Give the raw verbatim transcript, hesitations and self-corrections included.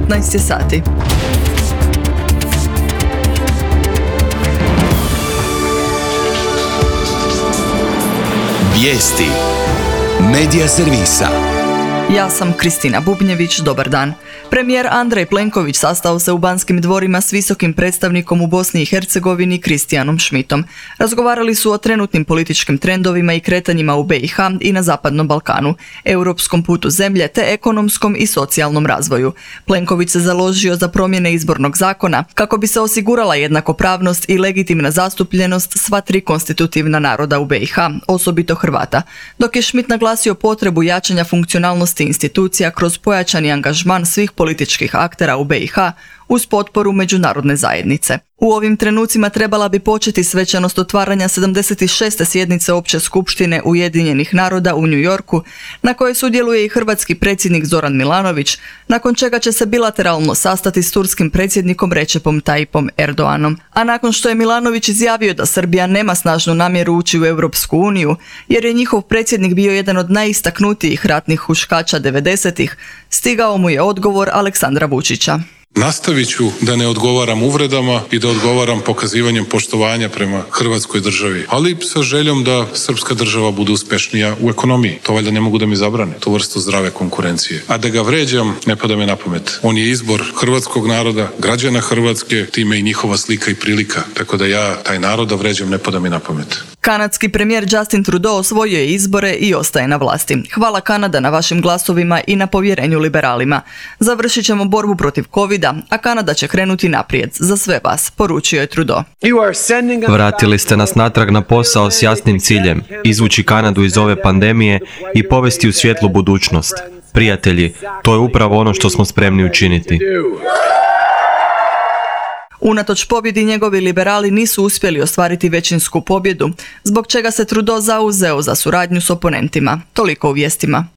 petnaest je sati. Vijesti Medija servisa. Ja sam Kristina Bubnjević, dobar dan. Premijer Andrej Plenković sastao se u Banskim dvorima s visokim predstavnikom u Bosni i Hercegovini Kristijanom Šmitom. Razgovarali su o trenutnim političkim trendovima i kretanjima u B i H i na Zapadnom Balkanu, europskom putu zemlje te ekonomskom i socijalnom razvoju. Plenković se založio za promjene izbornog zakona kako bi se osigurala jednakopravnost i legitimna zastupljenost sva tri konstitutivna naroda u B i H, osobito Hrvata, dok je Šmit naglasio potrebu jačanja funkcionalnosti institucija kroz pojačani angažman svih političkih aktera u B i H uz potporu međunarodne zajednice. U ovim trenucima trebala bi početi svečanost otvaranja sedamdeset šeste sjednice Opće skupštine Ujedinjenih naroda u New Yorku, na kojoj sudjeluje i hrvatski predsjednik Zoran Milanović, nakon čega će se bilateralno sastati s turskim predsjednikom Recepom Tayyipom Erdoganom. A nakon što je Milanović izjavio da Srbija nema snažnu namjeru ući u Europsku uniju, jer je njihov predsjednik bio jedan od najistaknutijih ratnih huškača devedesetih, stigao mu je odgovor Aleksandra Vučića. Nastavit ću da ne odgovaram uvredama i da odgovaram pokazivanjem poštovanja prema Hrvatskoj državi, ali sa željom da srpska država bude uspješnija u ekonomiji. To valjda ne mogu da mi zabrane, tu vrstu zdrave konkurencije. A da ga vređam, ne pada mi na pamet. On je izbor hrvatskog naroda, građana Hrvatske, time i njihova slika i prilika. Tako da ja taj narod da vređam, ne pada mi na pamet. Kanadski premijer Justin Trudeau osvojio je izbore i ostaje na vlasti. Hvala Kanada na vašim glasovima i na povjerenju liberalima. Završit ćemo borbu protiv covida, a Kanada će krenuti naprijed za sve vas, poručio je Trudeau. Vratili ste nas natrag na posao s jasnim ciljem, izvući Kanadu iz ove pandemije i povesti u svjetlu budućnost. Prijatelji, to je upravo ono što smo spremni učiniti. Unatoč pobjedi njegovi liberali nisu uspjeli ostvariti većinsku pobjedu, zbog čega se Trudeau zauzeo za suradnju s oponentima. Toliko u vijestima.